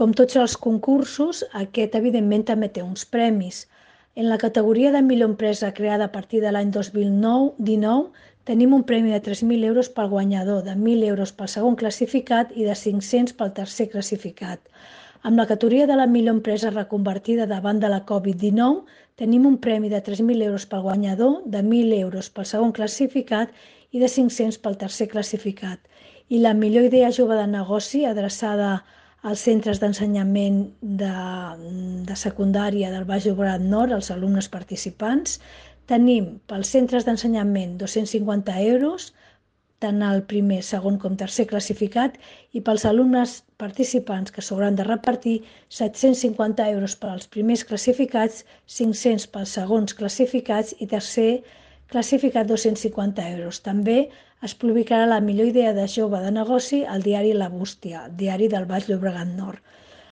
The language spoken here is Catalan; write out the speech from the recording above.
com tots els concursos, aquest evidentment també té uns premis. En la categoria de millor empresa creada a partir de l'any 2019 tenim un premi de 3.000 euros pel guanyador, de 1.000 euros pel segon classificat i de 500 pel tercer classificat. Amb la categoria de la millor empresa reconvertida davant de la Covid-19 tenim un premi de 3.000 euros pel guanyador, de 1.000 euros pel segon classificat i de 500 pel tercer classificat. I la millor idea jove de negoci adreçada als centres d'ensenyament de secundària del Baix Llobregat Nord, els alumnes participants. Tenim pels centres d'ensenyament 250 euros, tant el primer, segon com tercer classificat, i pels alumnes participants que s'hauran de repartir 750 euros per als primers classificats, 500 pels segons classificats i tercer classificat 250 euros. També es publicarà la millor idea de jove de negoci al diari La Bústia, diari del Baix Llobregat Nord.